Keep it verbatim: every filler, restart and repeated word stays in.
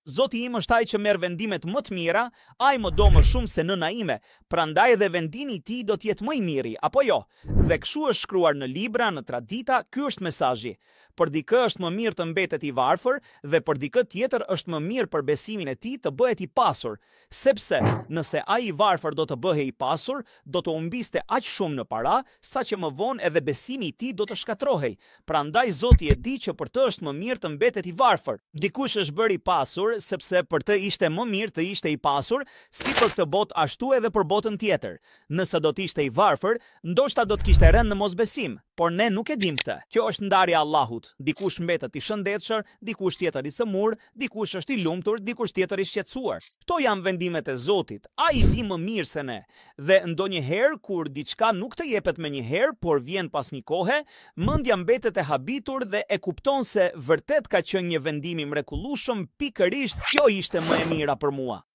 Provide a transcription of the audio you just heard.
Zoti im është ai që merr vendimet më të mira, ai më do më shumë se nëna ime, prandaj edhe vendimi i tij do të jetë më i miri, apo jo? Dhe kështu është shkruar në libra, në tradita, ky është mesazhi. Për dikë është më mirë të mbetet i varfër dhe për dikë tjetër është më mirë për besimin e tij të bëhet i pasur, sepse nëse ai i varfër do të bëhej i pasur, do të humbiste aq shumë në para, saqë më vonë edhe besimi i tij do të shkatërrohej. Prandaj Zoti e di që për të është më mirë të mbetet i varfër. Dikush është bërë i pasur sepse për të ishte më mirë të ishte i pasur, si për këtë botë ashtu edhe për botën tjetër. Nëse do të ishte i varfër, ndoshta do të kishte rënë në mosbesim, por ne nuk e dim këtë. Kjo është ndarja e Allahut. Dikush mbetet i shëndetshëm, dikush tjetër i sëmur, dikush është i lumtur, dikush tjetër i shqetësuar. Këto janë vendimet e Zotit. Ai di më mirë se ne. Dhe ndonjëherë kur diçka nuk të jepet menjëherë, por vjen pas një kohe, mendja mbetet e habitur dhe e kupton se vërtet ka qenë një vendim i mrekullueshëm, pikërisht kjo ishte më e mira për mua.